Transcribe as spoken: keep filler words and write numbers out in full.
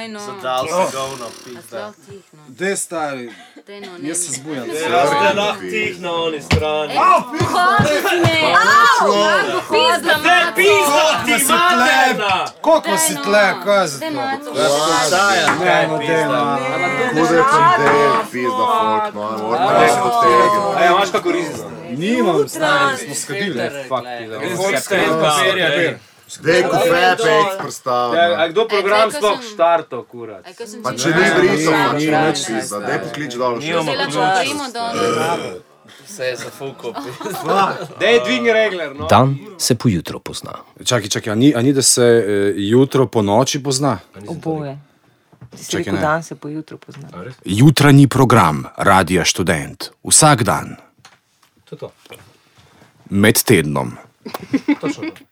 Daj no. Zadal se govno, pizda. Dej, stari, jaz se zbujam. Ste lahko tih na oni strani. Hodi si me! Au! Pizda, maco! Pizda ti materna! Koliko si tle, kaj za Daj, to? maco. Saja, kaj No, pizda. dej, no. Kude je pandel, pizda folk, no, moramo nekaj odtegati. A ja, imaš kako rizno? Nimam, stari, smo skadili. Fuck, pizda. Dej, ko fepe, eks predstavlja. A kdo program sploh štarto, kurat? Pa če ni britov, pa ni več pizda. Dej poklič dol še. Se lahko govorimo do... Se je zafukal, Dej, dvigni regler, no. Dan se pojutro pozna. Čakaj, čakaj, a ni, a ni da se eh, jutro po noči pozna? Oboje. Si Čakaj, rekel, ne. dan se po jutru pozna. Jutranji program Radia Študent. Vsak dan. To je to. Med tednom. Točno to.